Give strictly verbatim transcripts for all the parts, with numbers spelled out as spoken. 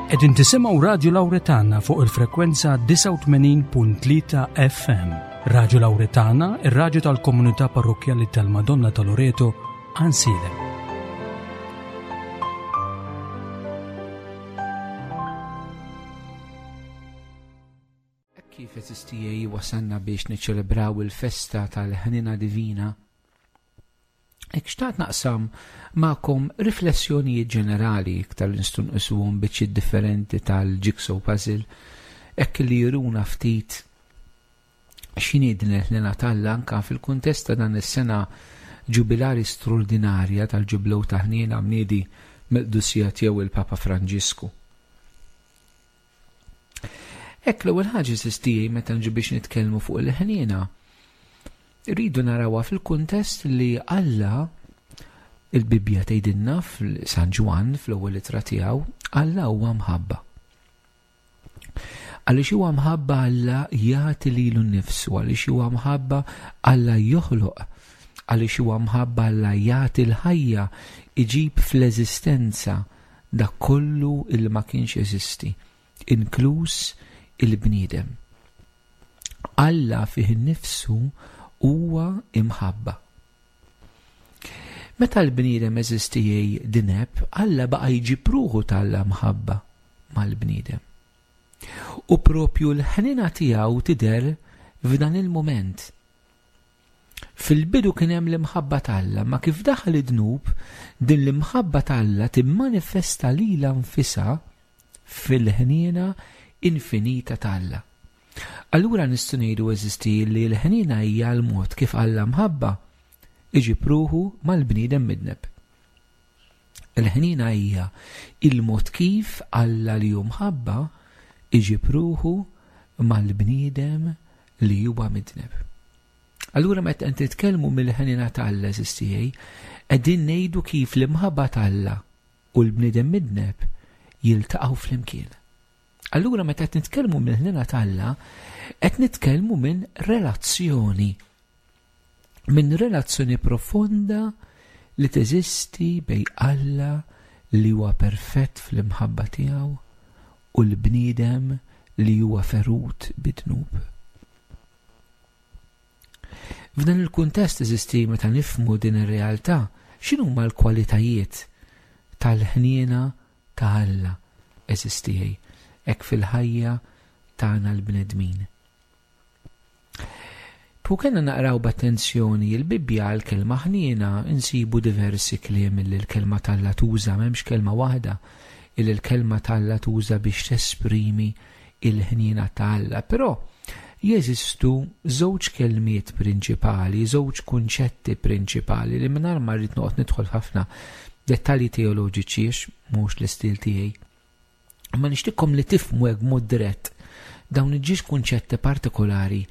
Qegħdin tisimgħu Radju Lawretana fuq il-frekwenza disgħa u tmenin punt tlieta F M. Radju Lawretana, ir-radju tal-komunità parrokkjali tal-Madonna ta' Loreto, Għajnsielem. Kif eżistijaj wasanna biex niċċelebraw il-festa tal-ħnina divina, hekk xtaqt naqsam magħkom riflessjonijiet ġenerali iktar li nistgħu nqisuhom biċċiet differenti tal-jigsaw puzzle, hekk li juruna ftit x'inhi din il-ħnina t'Alla anke fil-kuntest ta' dan is-sena ġubilari straordinarja tal-ġublew ta' ħniena mniedi mill-qdusija tiegħu il-Papa Franġisku. Hekk l-ewwel ħaġa eżistijaj meta nġu biex nitkellmu fuq il-ħniena, rridu narawha fil-kuntest li Alla, il-Bibbja tgħidilna f'San Ġwann fl-ewwel ittra tiegħu, Alla huwa mħabba. Għaliex huwa mħabba Alla jagħti lilu nnifsu, għaliex huwa mħabba Alla joħloq, għaliex huwa mħabba Alla jagħti l-ħajja, iġib fl-eżistenza dak kollu il ma kienx jeżisti, inkluż il-bniedem. Alla fih innifsu huwa imħabba. Meta l-bniedem eżistijej dineb, Alla baqa' jġib ruħu tal-Alla mħabba mal-bniedem. U propju l-ħnina tiegħu tidher f'dan il-mument. Fil-bidu kien hemm l-imħabba t'Alla, ma kif daħal id-dnub, din l-imħabba t'Alla timmanifesta lilha nfisha fil-ħniena infinita t'Alla. Allura nistgħu ngħidu eżisti li l-ħniena hija l-mod kif Alla mħabba iġib ruħu mal-bniedem midneb. Il-ħniena hija il-mod kif Alla li hu mħabba iġib ruħu mal-bniedem li huwa midneb. Allura meta qed nitkellmu mill-ħniena t'Alla eżistijej, qegħdin ngħidu kif l-imħabba t'Alla u l-bniedem midneb jiltaqgħu flimkien. Allura meta qed nitkellmu mill-ħniena t'Alla, qed nitkellmu minn relazzjoni. Minn relazzjoni profonda li teżisti bejn Alla li huwa perfett fl-imħabba tiegħu u l-bniedem li huwa ferut bid-dnub. F'dan il-kuntest eżisti meta nifhmu din ir-realtà, x'inhuma l-kwalitajiet tal-ħniena ta' Alla eżistijej hekk fil-ħajja tagħna l-bnedmin. Pu kellna naqraw b'attenzjoni il-Bibbja għall-kelma ħniena insibu diversi kliem li l-kelma t'Alla tuża, m'hemmx kelma waħda illi l-kelma t'Alla tuża biex tesprimi il-ħniena t'Alla, però jeżistu żewġ kelmiet prinċipali, żewġ kunċetti prinċipali li mingħajr ma rrid noqgħod nidħol ħafna dettalji teoloġiċi għax mhux l-istil tiegħi. Ma nixtieqkom li tifhmu hekk b'mod dirett dawn iż-żewġ kunċetti partikolari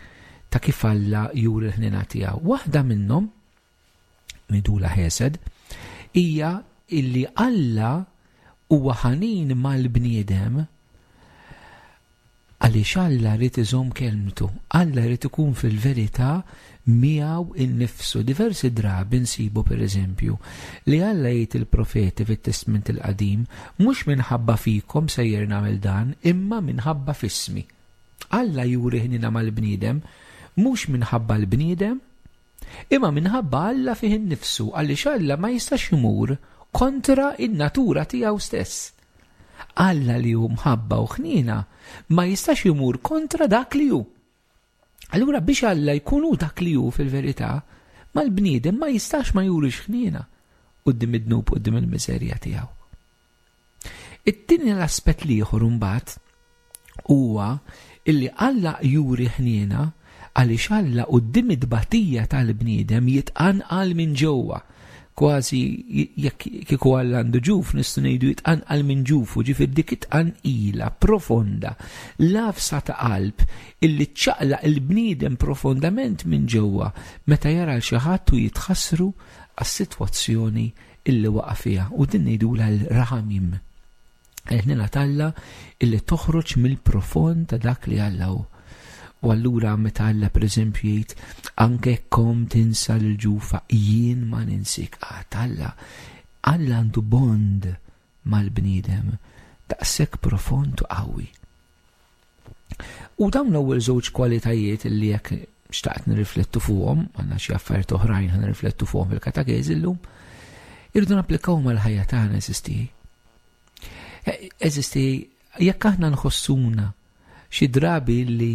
ta' kif Alla juri l-ħniena tiegħu. Waħda minnhom, ngħidulha ħesed, hija illi Alla huwa ħanin mal-bniedem għaliex Alla rrid iżomm kelmtu, Alla rrid ikun fil-verità miegħu innifsu. Diversi drabi nsibu pereżempju li Alla jgħid il-profeti fit-Testment il-Qadim, mhux minħabba fikom sejjer nagħmel dan, imma minħabba fismi. Alla juri ħnina mal-bniedem mhux minħabba l-bniedem, imma minħabba Alla fih innifsu, għaliex Alla ma jistax imur kontra in-natura tiegħu stess. Alla li hu mħabba u ħniena ma jistax imur kontra dak li hu. Allura biex Alla jkun hu dak li hu fil-verità, mal-bniedem ma jistax ma jurix ħniena quddiem id-dnub, quddiem il-miżerja tiegħu. It-tieni l-aspett l-ieħor imbagħad huwa illi Alla juri ħniena għaliex Alla quddiem it-tbatija tal-bniedem jitqanqal minn ġewwa. Kważi jekk kieku Alla għandu ġuf, nistgħu ngħidu jitqanqal minn ġufu, ġifier dik it-tqanqila profonda, lafsa ta' qalb illi ċċaqlaq il-bniedem profondament minn ġewwa meta jara l xi ħadd u jitħassru għas-sitwazzjoni illi waqa' fiha, u din ngħidulha l-raħamim. Il-ħniena t'Alla illi toħroġ mill-profond ta' dak li Alla hu. U allura meta Alla pereżempju jgħid anke kom tinsa l-ġufa, jien ma ninsik qatt. Alla, Alla għandu bond mal-bniedem Daqshekk profond u qawwi. U dawn l-ewwel żewġ kwalitajiet li jekk xtaqt nirriflettu fuqhom, għandna xi affarijiet oħrajn ħa nirriflettu fuqhom fil-katekeżi llum, irridu napplikaw mal-ħajja tagħna, għeżież tiegħi. Għeżież tiegħi, jekk aħna nħossuna xi drabi li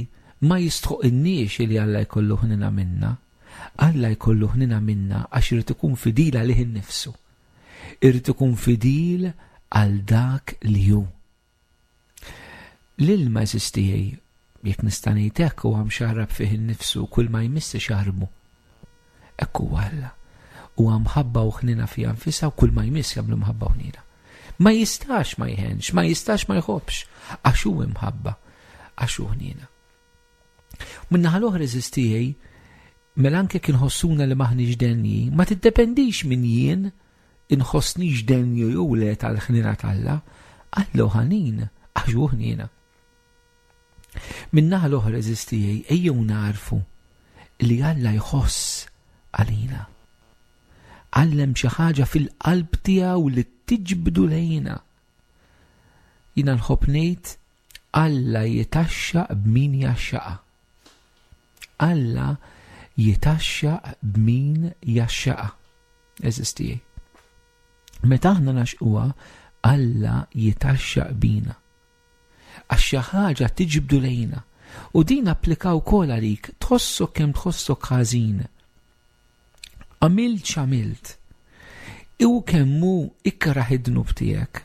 ma jistħoqilniex li Alla jkollu ħnina minna, Alla jkollu ħnina minna għax irid ikun fidil għalih innifsu. Irid ikun fidil għal dak li hu. L-ilma, għeżież tiegħi, jekk nista' ngħid hekk, huwa mxarrab fih innifsu, kull ma jmiss xarbu. Hekk huwa Alla. Huwa mħabba u ħnina fiha nfisha u kull ma jmiss jagħmlu mħabba u ħnina. Ma jistax ma jħenx, ma jistax ma jħobbx, għax hu imħabba, għax hu ħnina. Min-naħa l-oħra, għeżież tiegħi, mela anke kien ħossuna li m'aħniex denji, ma tiddependix minn jien inħossnix denju jew le tal-ħnina t'Alla, Alla ħanin, għax hu ħnina. Min-naħa l-oħra, għeżież tiegħi, ejjew nagħrfu li Alla jħoss għalina. Alla hemm xi ħaġa fil-qalb tiegħu li tiġbdu lejna. Jiena nħobb ngħid Alla jitgħaxxaq b'min jgħaxxaqha. Alla jitgħaxxaq b'min jgħaxxaqha. Għeżież tiegħi. Meta aħna nagħxquha, Alla jitgħaxxaq bina. Għax xi ħaġa tiġbdu lejna. U din applika wkoll għalik, tħossok kemm tħossok ħażin. Għamilt x'għamilt. U kemm hu ikraħ id-dnub tiegħek.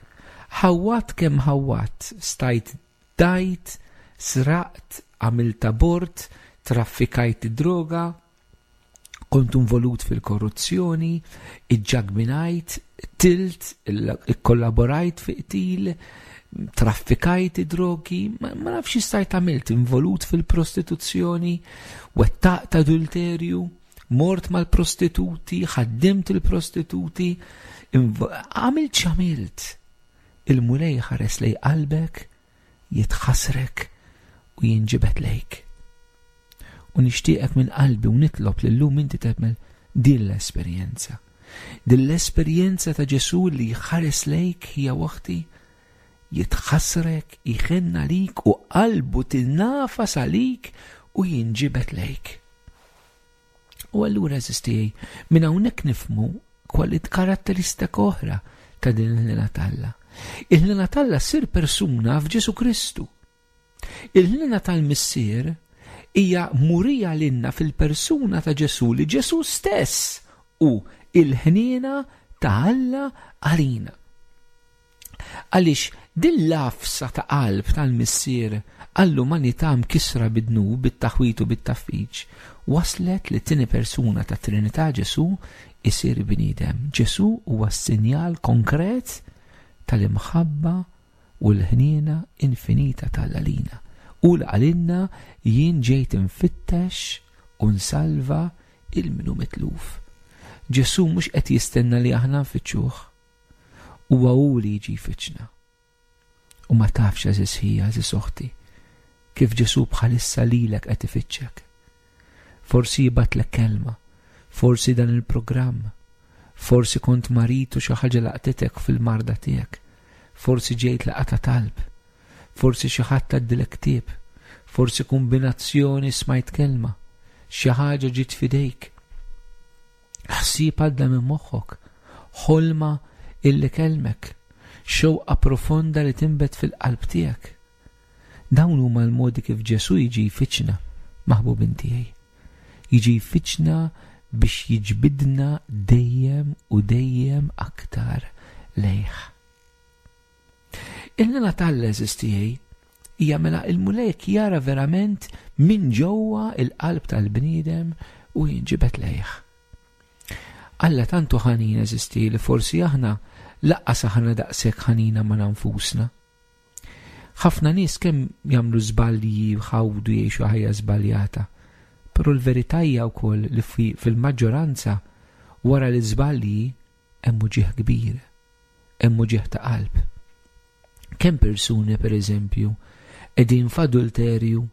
Ħawwadt kemm ħawwadt, stajt dajt, sraqt, għamilt abort, traffikajt droga, kont involut fil-korruzzjoni, iġġagbinajt, qtilt, ikkollaborajt fi qtil, traffikajt drogi, ma, ma nafx stajt għamilt, involut fil-prostituzzjoni, wettaqt adulterju, mort mal-prostituti, ħaddimt il-prostituti, għamilt x'għamilt. Il-Mulej ħares lej qalbek, jitħasrek u jinġibet lejk. U nixtieqek minn qalbi u nitlob li llum inti tagħmel din l-esperjenza. Din l-esperjenza ta' Ġesù li jħares lejk ħija oħti, jitħasrek, iħenn għalik u qalbu tinafas għalik u jinġibet lejk. U allura, għeżież tiegħi, minn hawnhekk nifhmu kwalit karatteristika oħra ta' din il-ħnina t'Alla. Il-ħnina t'Alla ssir persuna f'Ġesù Kristu. Il-ħnina tal-Missier hija murija lilna fil-persuna ta' Ġesù, li Ġesù stess hu il-ħniena ta' Alla għalina. Għaliex din l-għafsa ta' qalb tal-Missier għall-umanità mkisra bid-dnub, bit-taħwit u bit-taffiċ, waslet li t-tieni persuna ta' Trinità, Ġesù, isir bniedem. Ġesù huwa sinjal konkret tal-imħabba u l-ħniena infinita t'Alla lina. U l-għalinna jien ġejt infittex u nsalva lil min hu mitluf. Ġesù mhux qed jistenna li aħna nfittxuh. Huwa hu li jiġi jfittxna. U ma tafx, għeżież ħija, għeżież oħti, kif Ġesù bħalissa lilek qed ifittxek. Forsi jibgħatlek kelma, forsi dan il-programm, forsi kont marid u xi ħaġa laqtitek fil-marda tiegħek, forsi ġejt laqgħa ta' talb, forsi xi ħadd għaddilek ktieb, forsi kombinazzjoni smajt kelma, xi ħaġa ġiet f'idejk. Ħsieb għadda minn moħħok, ħolma illi kellmek, xewqa profonda li tinbet fil-qalb tiegħek. Dawn huma l-modi kif Ġesù jiġi jfittxna, maħbubin tiegħi. Jiġi jfittxna biex jiġbidna dejjem u dejjem aktar lejh. Il-ħniena t'Alla, għeżież tiegħi, hija mela il-Mulej jara verament minn ġewwa il-qalb tal-bniedem u jinġibet lejh. Alla tant hu ħanin, għeżież tiegħi, li forsi aħna lanqas aħna daqshekk ħanina ma' nfusna. Ħafna nies kemm jagħmlu żbalji, jħawdu, jgħixu ħajja żbaljata. Però l-verità hija wkoll li fil-maġġoranza wara l-iżbalji hemm uġigħ kbir, hemm uġigħ ta' qalb. Kemm persuni, per eżempju, qegħdin f'adulterju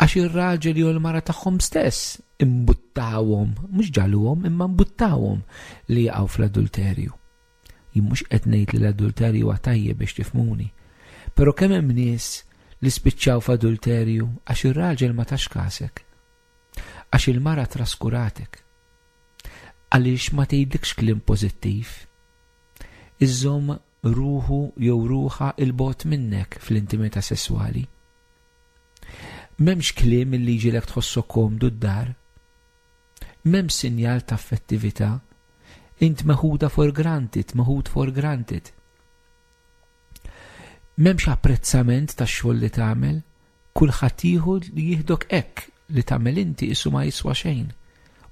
għax ir-raġel jew l-mara tagħhom stess imbuttawhom, mhux ġagħluhom imma imbuttawhom li jaqgħu fl-adulterju. Jien mhux qed ngħid li l-adulterju huwa tajjeb, biex tifhmuni. Però kemm hemm nies li spiċċaw f'adulterju għax ir-raġel ma tax kasek, għax il-mara traskuratek, għaliex ma tgħidlikx kliem pożittiv. Iżżomm ruħu jew ruħha 'l bogħod minnek fl-intimità sesswali. M'hemmx kliem illi jġiegħlek tħossok komdu d-dar. M'hemmx sinjal ta' affettività. Int meħuda for granted, meħud for granted. M'hemmx apprezzament tax-xogħol li tagħmel, kulħadd jieħu li jieħdok hekk li tagħmel inti isu ma jiswa xejn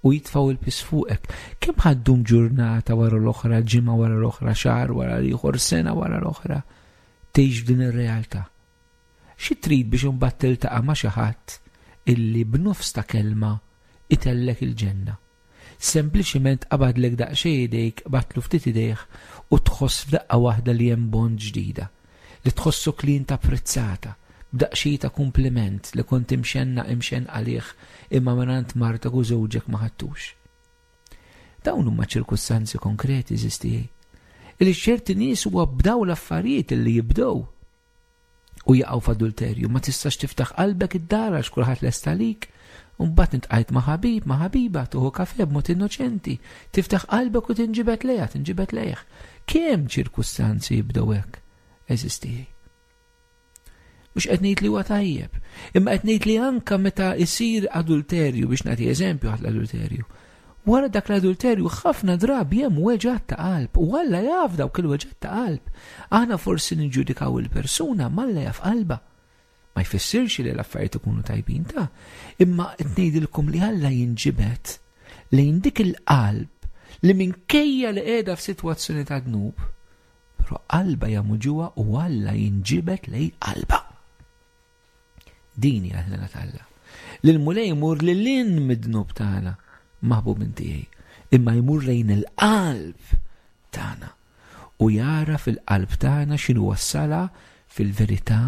u jitfgħu il-piż fuqek. Kemm ħa ddum ġurnata wara l-oħra, ġimgħa wara l-oħra, xahar wara l-ieħor, sena wara l-oħra, tgħix f'din ir-realtà. Xi trid biex imbagħad tiltaqa' ma' xi ħadd illi b'nofs ta' kelma itellgħek il-ġenna. Sempliċiment qabadlek daqsxejn idejk, batlu ftit idejh u tħoss f'daqqa waħda li hemm bond ġdida, li tħossok li int apprezzata, b'daqsxejn ta' kompliment li kont imxenna imxen għalih imma mingħand martek u żewġek ma ħadtux. Dawn huma ċirkustanzi konkreti eżistijaj. Illi ċerti nies huwa b'daw l-affarijiet li jibdew u jaqgħu f'adulterju, ma tistax tiftaħ qalbek id-dar għax kulħadd lest għalik. U mbagħad iltqajt ma' ħabib, ma' ħabiba, tieħu kafè b'mod innoċenti, tiftaħ qalbek u tinġibed lejha, tinġibed lejh. Kemm ċirkustanzi jibdew hekk eżistijaj? Mhux qed ngħid li huwa tajjeb, imma qed ngħid li anka meta jsir adulterju, biex nagħti eżempju għal l-adulterju. Wara dak l-adulterju ħafna drabi hemm weġgħat ta' qalb u Alla jaf dawk il-weġgħat ta' qalb. Aħna forsi niġġudikaw il-persuna, ma Alla jaf qalba. Ma jfissirx li l-affarijiet ikunu tajbin ta', imma qed ngħidilkom li Alla jinġibed lejn dik il-qalb li minkejja li qiegħda f'sitwazzjoni ta' dnub, però qalba hija muġugħa u Alla jinġibed lejn qalba. Din hija l-ħniena t'Alla. Li l-Mulej jmur lil hinn mid-dnub tagħna, maħbub minn tiegħi, imma jmur lejn il-qalb tagħna u jara fil-qalb tagħna x'inhu wassala fil-verità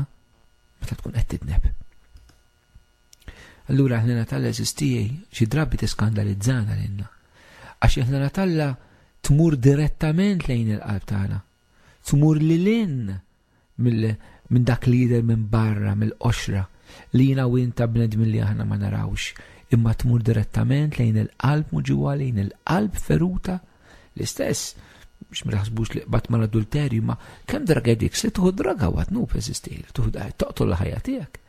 meta tkun qed tidneb. Allura l-ħniena t'Alla eżistijaj xi drabi tiskandalizzana lilna. Għax il-ħniena t'Alla tmur direttament lejn il-qalb tagħna. Tmur lil hinn minn dak li jidher minn barra, mill-qoxra, li jiena u inta bnedmin li aħna ma narawx, imma tmur direttament lejn il-qalb muġugħa, lejn il-qalb feruta. L-istess, biex ma taħsbux li qbad mal-adulterju, ma kemm drug addicts li tieħu droga u għat-dnub eżisti, li tieħu toqtol l-ħajja tiegħek.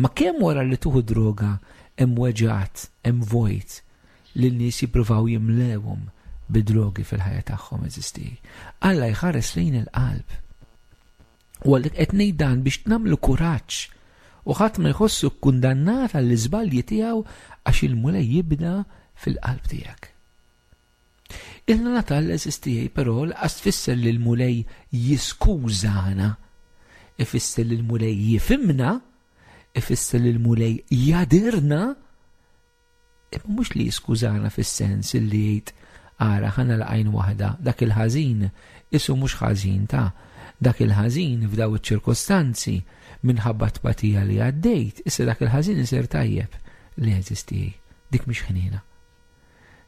Ma kemm wara li tieħu droga hemm weġgħat, hemm vojt li n-nies jippruvaw jimlewhom bid-drogi fil-ħajja tagħhom eżisti. Alla jħares lejn il-qalb. U għalhekk qed ngħid dan biex nagħmlu kuraġġ u ħadd ma jħossu kkundannat għall-iżbalji tiegħu għax il-Mulej jibda fil-qalb tiegħek. Il-ħniena t'Alla eżistijaj, però lanqas tfisser li l-Mulej jiskużana, ifisser li l-Mulej jifhimna, ifisser li l-Mulej jagħdirna, imma mhux li jiskużana fis-sens li jgħid ara ħa nagħlaq għajn waħda, dak il-ħażin isu mhux ħażin ta' dak il-ħażin f'daw iċ-ċirkostanzi minħabba tbatija li għaddejt, issa dak il-ħażin isir tajjeb li jeżisti. Dik mhix ħniena.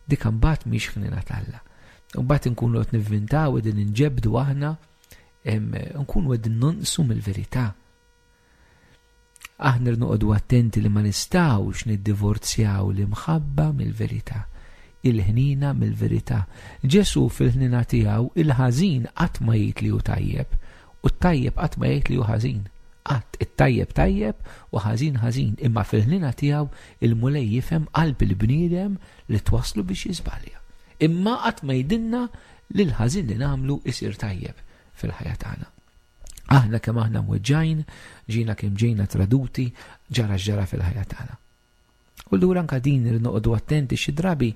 Dik imbagħad mhix ħniena t'Alla. Mbagħad inkunu qed nivvintaw qegħdin inġebdu aħna, nkunu qegħdin nonqsu mill-verità. Aħna noqogħdu attenti li ma nistgħux niddivorzjaw l-imħabba mill-verità, il-ħnina mill-verità. Ġesu fil-ħnina tiegħu il-ħażin qatt ma jgħid li hu tajjeb u t-tajjeb qatt ma jgħid li hu ħażin. Qatt it-tajjeb tajjeb u ħażin ħażin, imma fil-ħnina tiegħu il-Mulej jifhem qalb il-bniedem li twaslu biex jiżbalja. Imma qatt ma jgħidilna li l-ħażin li nagħmlu isir tajjeb fil-ħajja tagħna. Aħna kemm aħna mweġġajn, ġina kemm ġejna traduti, ġara ġara fil-ħajja tagħna. U allura anka din irid noqogħdu attenti xi drabi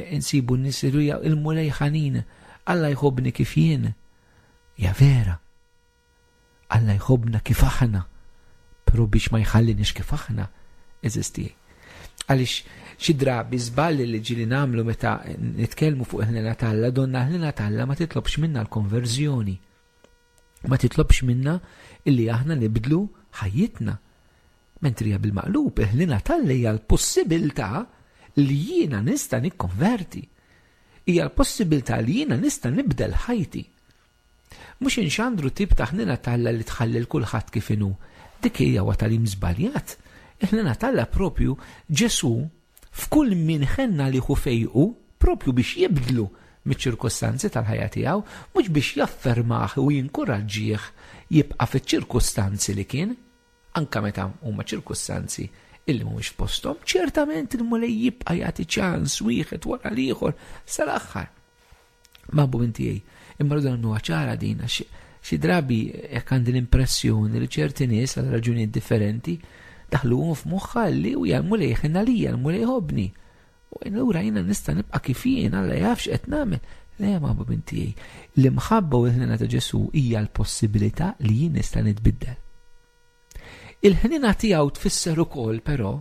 insibu n-nies li il-Mulej ħanin, Alla jħobbni kif jien. Ja vera. Alla jħobbna kif aħna, però biex ma jħallinix kif aħna, eżisti. Għaliex xi drabi żballi li ġieli nagħmlu meta nitkellmu fuq il-ħniena t'Alla, donna l-ħniena t'Alla ma titlobx minna l-konverżjoni. Ma titlobx minna illi aħna nibdlu ħajjitna. Mentri hija bil-maqlub, il-ħniena t'Alla hija l-possibilità li jiena nista' nikkonverti. Hija l-possibilità li jiena nista' nibdel ħajti. Mhux inxandru tip ta' ħnina t'Alla li tħalli l kulħadd kif inhu. Dik hija huwa tagħlim żbaljat. Il-ħnina t'Alla propju Ġesù f'kull min ħenna li hu fejqu propju biex jibdlu miċ-ċirkustanzi tal-ħajja tiegħu, mhux biex jaffermah u jinkuraġġih jibqa' fiċ-ċirkustanzi li kien, anka meta huma ċirkustanzi illi mhumiex f'posthom, ċertament il-Mulej jibqa' jagħti ċans wieħed wara l-ieħor sal-aħħar. Maħbubin tiegħi, imma rridu nagħmluha ċara din għax xi drabi jekk għandi l-impressjoni li ċerti nies għal raġunijiet differenti daħluhom f'moħħha li u l-Mulej ħenna lija, l-Mulej ħobni. U allura jiena nista' nibqa' kif jien, Alla jaf x'qed nagħmel. Le, maħbubin tiegħi, l-imħabba u l-ħnina ta' Ġesù hija l-possibilità li jien nista' nitbiddel. Il-ħnina tiegħu tfisser ukoll però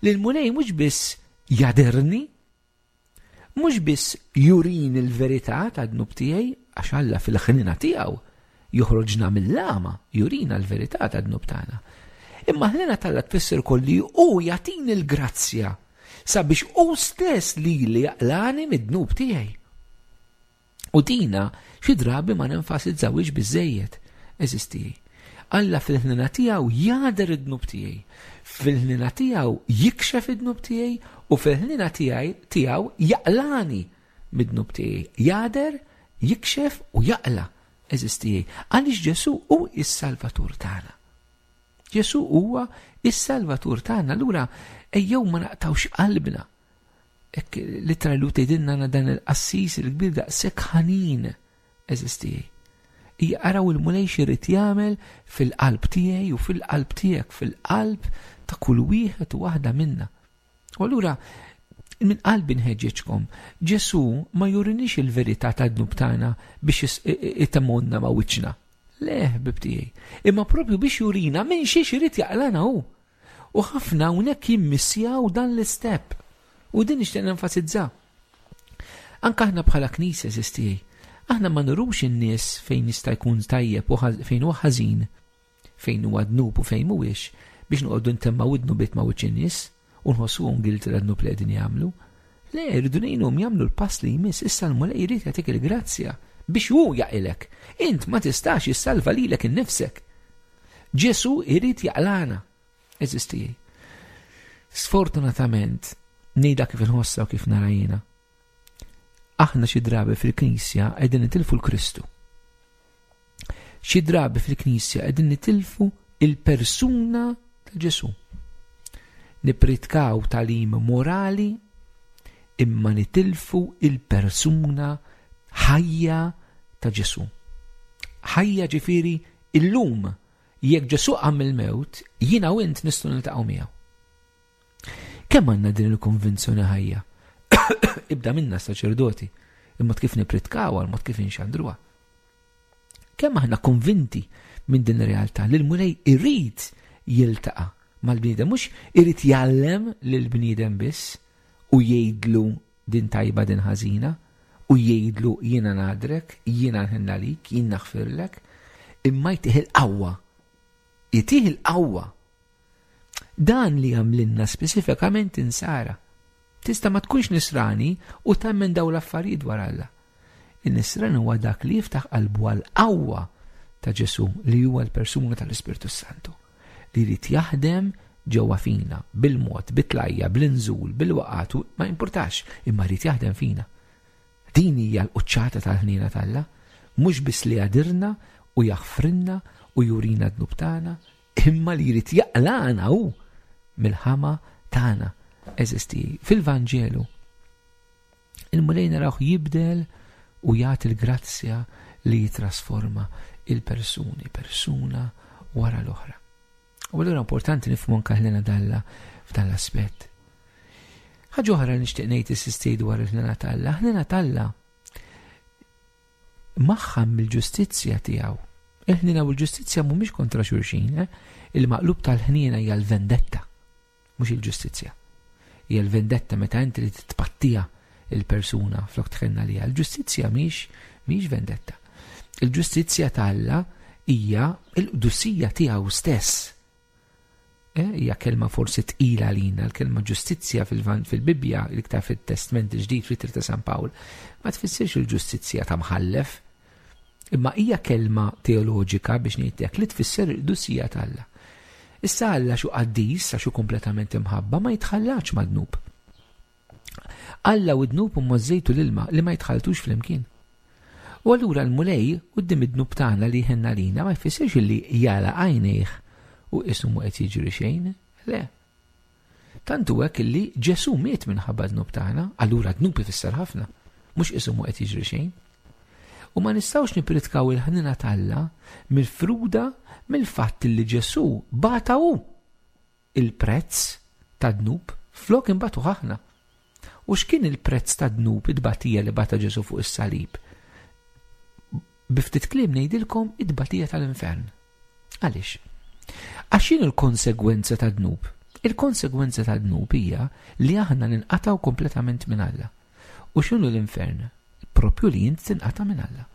li l-Mulej mhux biss jaderni, mhux biss jurini l-verità tad-dnub tiegħi, għax Alla fil-ħnina tiegħu joħroġna mill-għama, jurina l-verità tad-dnub tagħna. Imma ħnina t'Alla tfisser ukoll li hu jagħtini l-grazzja sabiex hu stess li li jaqlani mid-dnub tiegħi. U dina xi drabi ma nenfasizzawhiex biżejjed, eżisti. Alla fil-ħnina tiegħu jagħder id-dnub tiegħi, fil-ħnina tiegħu jikxef id-dnub tiegħi u fil-ħnina tiegħi tiegħu jaqlani mid-dnub tiegħi. Jagħder, jikxef u jaqla, eżisti. Għaliex Ġesù hu s-Salvatur tagħna. Ġesù huwa s-Salvatur tagħna, allura ejjew ma naqtawx qalbna. Hekk litra li tgħidilna dan il-qassis il-kbir daqshekk ħanin, eżisti. Hija araw il-Mulej x'irid jagħmel fil-qalb tiegħi u fil-qalb tiegħek, fil-qalb ta' kull wieħed u waħda minna. U allura minn qalbi nħeġġeġkom, Ġesù ma jurinix il-verità tad-dnub tagħna biex itemmonna ma' wiċċna. Le, ħbib tiegħi, imma propju biex jurina minn xiex irid jaqlana hu. U ħafna hawnhekk jimmissjaw dan l-istep. U din nixtieq nenfasizza. Anke aħna bħala Knisja, eżisti, aħna ma nurux in-nies fejn jista' jkun tajjeb u fejn huwa ħażin, fejn huwa dnub u fejn mhuwiex, biex noqogħdu ntemmaw id-dnubiet ma' wiċċ in-nies u nħossuhom guilty tad-dnub li qegħdin jagħmlu. Le, rridu ngħinuhom jagħmlu l-pass li jmiss. Issa l-Mulej jrid jagħtik il-grazzja biex hu jaqilek. Int ma tistax issalva lilek innifsek. Ġesù jrid jaqlana. Eżisti. Sfortunatament, ngħidha kif inħossha u kif nara jiena. Aħna xi drabi fil-Knisja qegħdin nitilfu l-Kristu. Xi drabi fil-Knisja qegħdin nitilfu il-persuna ta' Ġesù. Nipritkaw tagħlim morali imma nitilfu il-persuna ħajja ta' Ġesù. Ħajja ġifieri illum jekk Ġesù qam mill-mewt, jiena u int nistgħu niltaqgħu miegħu. Kemm għandna din il-konvinzjoni ħajja? Ibda minna saċerdoti, il-mod kif nipritkaw, il-mod kif inxandruha. Kemm aħna konvinti minn din ir-realtà li l-Mulej irid jiltaqa' mal-bniedem, mhux irid jgħallem lill-bniedem biss u jgħidlu din tajba din ħażina u jgħidlu jiena nadrek, jiena nħenna lik, jien naħfirlek, imma jtih il-qawwa. Jtih il-qawwa. Dan li għamlinna speċifikament insara. Tista' ma tkunx nisrani u temmen daw l-affarijiet dwar Alla. In-nisrani huwa dak li jiftaħ qalbu għall-qawwa ta' Ġesù li huwa l-persuna tal-Ispirtu Santu li jrid jaħdem ġewwa fina bil-mod, bit-tlajja, bl-inżul, bil-waqat, ma importax, imma jrid jaħdem fina. Din hija l-quċċata tal-ħniena t'Alla, mhux biss li jadirna u jaħfrinna u jurina d-dnub tagħna, imma li jrid jaqlana hu mill-ħama tagħna. Eżisti, fil-Vanġelu il-Mulej narawh jibdel u jagħti l-grazzja li jitrasforma il-persuni, persuna wara l-oħra. U allura importanti nifhmu anke ħlena dalla f'dan l-aspett. Ħaġa oħra li nixtieq ngħid is-sistej dwar il-ħlena t'Alla, ħlena t'Alla magħha mill-ġustizzja tiegħu. Il-ħniena u l-ġustizzja mhumiex kontra xulxin, eh? Il-maqlub tal-ħniena hija l-vendetta, mhux il-ġustizzja. Hija l-vendetta meta inti li titpattija il-persuna flok tħenna liha. Il-ġustizzja mhix mhix vendetta. Il-ġustizzja t'Alla hija l-qdusija tiegħu stess. Eh, hija kelma forsi tqila għalina, l-kelma ġustizzja fil-Bibbja, l-iktar fit-Testament il-Ġdid, fl-Ittra ta' San Pawl, ma tfissirx il-ġustizzja ta' mħallef, Imma hija kelma teoloġika biex ngħidlek li tfisser il-qdusija t'Alla. Issa Alla xu qaddis, għax hu kompletament imħabba, ma jitħallax mad-dnub. Alla u d-dnub huma ż-żejt u l-ilma li ma jitħalltux flimkien. U allura l-Mulej quddiem id-dnub tagħna li jħenna lina ma jfissirx li jagħlaq għajnejh u qisu mhu qed jiġri xejn, le. Tant hu hekk li Ġesù miet minħabba dnub tagħna, allura dnub ifisser ħafna, mhux qisu mhu qed jiġri xejn. U ma nistgħux nipritkaw il-ħnina t'Alla mill-fruda mill-fatt li Ġesù bata hu il-prezz ta' dnub flok imbatu aħna. U x'kien il-prezz ta' dnub id-batija li bata Ġesù fuq is-salib? Bi ftit kliem ngħidilkom id-batija tal-infern. Għaliex? Għax x'inhu l-konsegwenza ta' dnub? Il-konsegwenza ta' dnub hija li aħna ninqatgħu kompletament minn Alla. U x'inhu l-infern? Propju li int tinqata' minn Alla.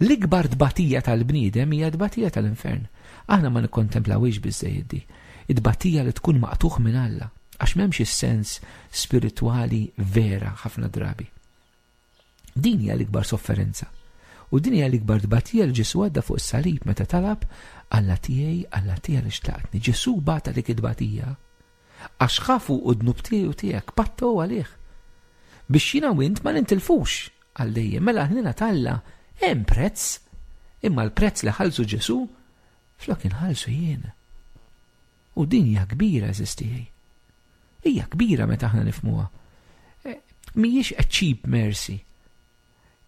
L-ikbar tbatija tal-bniedem hija tbatija tal-infern. Aħna ma nikkontemplawhiex biżżejjed di. It-tbatija li tkun maqtugħ minn Alla, għax m'hemmx is-sens spiritwali vera ħafna drabi. Din hija l-ikbar sofferenza. U din hija l-ikbar tbatija li Ġesù għadda fuq is-salib meta talab Alla tiegħi, Alla tiegħi li xtaqtni. Ġesù bata dik it-tbatija għax ħa fuqu d-dnub tiegħi u tiegħek, patta hu għalih. Biex jiena u int ma nintilfux għal dejjem. Mela ħnina t'Alla hemm prezz, imma l-prezz li ħallsu Ġesù flok inħallsu jien. U din hija kbira, għeżież tiegħi. Hija kbira meta aħna nifhmuha. Mhijiex a cheap mercy.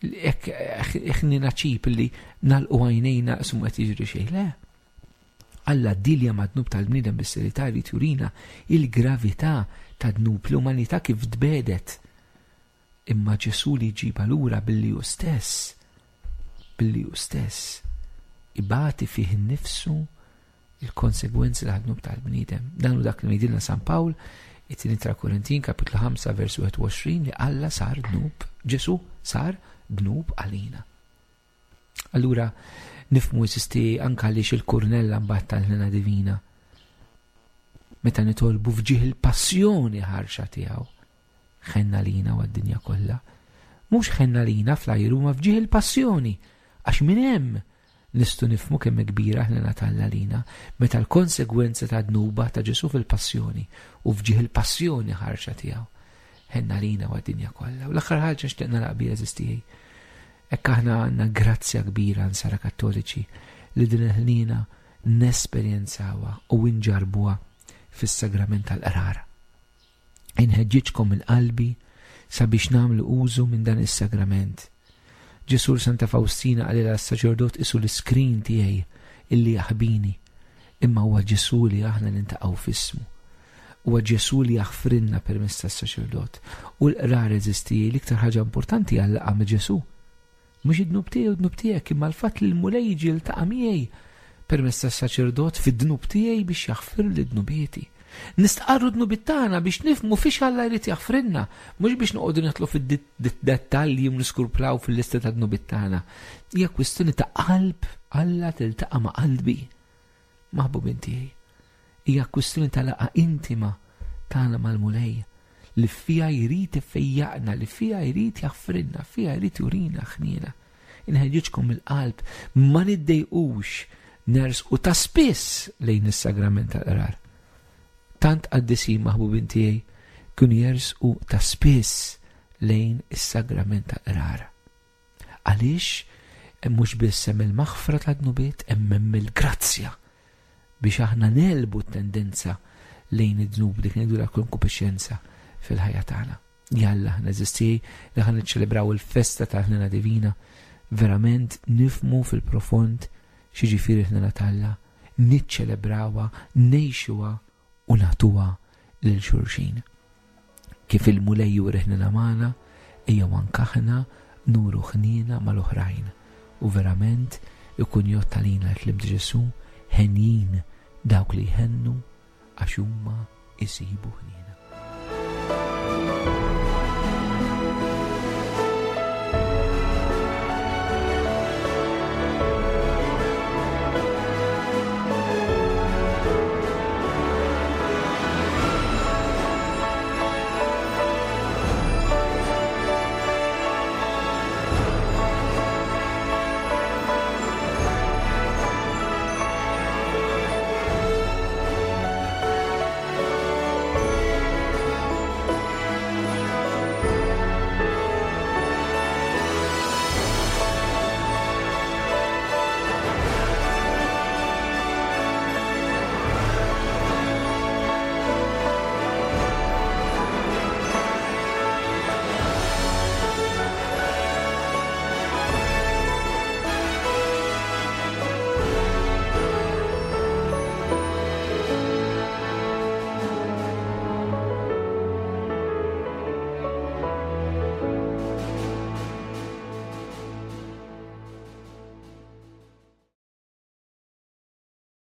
Ħnina cheap li nagħlqu għajnejna qisu qed jiġri xejn. Le. Alla ddilja mad-dnub tal-bniedem bis-serjetà jrid jurina il-gravità ta' dnub l-umanità kif tbedet. Imma Ġesù li jġibha lura billi hu stess, billi hu stess ibati fih innifsu il-konsegwenzi tal-dnub tal-bniedem. Dan hu dak li jgħidilna San Pawl, it-tieni ta' Korintin, kapitlu ħamsa, versu wieħed u għoxrin, li Alla sar dnub, Ġesù sar dnub għalina. Allura nifhmu eżisti anka għaliex il-kurnella mbagħad tal-ħnina divina. Meta nitolbu f'ġieħ il-passjoni ħarxa tiegħu, ħenna lina u għad-dinja kollha. Mhux ħenna lina fl-ajru ma f'ġieħ il-passjoni, għax minn hemm nistgħu nifhmu kemm kbira ħnina t'Alla lina meta l-konsegwenza ta' dnuba ta' Ġesù fil-passjoni u f'ġieħ il-passjoni ħarxa tiegħu. Ħenna lina u għad-dinja kollha. U l-aħħar ħaġa nixtieq nagħlaq biha għeżież tiegħi. Hekk aħna għandna grazzja kbira nsara kattoliċi li din il-ħnina nesperjenzawha u nġarbuha fis-sagrament tal-qrar. Inħeġġiġkom minn qalbi sabiex nagħmlu użu minn dan is-sagrament. Ġesù Santa Faustina qalilha s-saċerdot isu l-iskrin tiegħi illi jaħbini, imma huwa Ġesù li aħna nintaqgħu f'ismu. Huwa Ġesù li jaħfrilna permezz tas-saċerdot. U l-qrar għeżież tiegħi l-iktar ħaġa importanti għal laqgħa ma' Ġesù. Mhux id-dnub tiegħi u d-dnub tiegħek, imma l-fatt li l-Mulej jiġi jiltaqa' miegħi permezz tas-saċerdot fid-dnub tiegħi biex jaħfirli dnubieti. Nistqarru dnubiet tagħna biex nifhmu fiex Alla jrid jaħfrilna, mhux biex noqogħdu nidħlu fid-dettalji u niskurplaw fil-lista ta' dnubiet tagħna. Hija kwistjoni ta' qalb, Alla tiltaqa' ma' qalbi. Maħbubin tiegħi. Hija kwistjoni ta' laqgħa intima tagħna mal-Mulej li fija jrid ifejjaqna, li fija jrid jaħfrilna, fija jrid jurina ħniena. Inħeġġiġkom mill-qalb ma niddejqux nersqu ta' spiss lejn is-sagrament tal-qrar. Tant qaddisin maħbubin tiegħi kienu jersqu ta' spiss lejn is-sagrament tal-qrar. Għaliex mhux biss hemm il-maħfra tad-dnubiet, hemm hemm il-grazzja biex aħna nelbu t-tendenza lejn id-dnub dik ngħidu la konkupixxenza fil-ħajja tagħna. Jalla aħna għeżież tiegħi li ħa niċċelebraw il-festa tal-ħnina divina, verament nifhmu fil-profond x'jiġifieri l-ħnina t'Alla, niċċelebrawha, ngħixuha u nagħtuha lil xulxin. Kif il-Mulej juri ħnina magħna, ejjew anke aħna nuru ħnina mal-oħrajn u verament ikun jgħodd għalina l-kliem ta' Ġesù, henjin dawk li jħennu għax huma jsibu ħniena.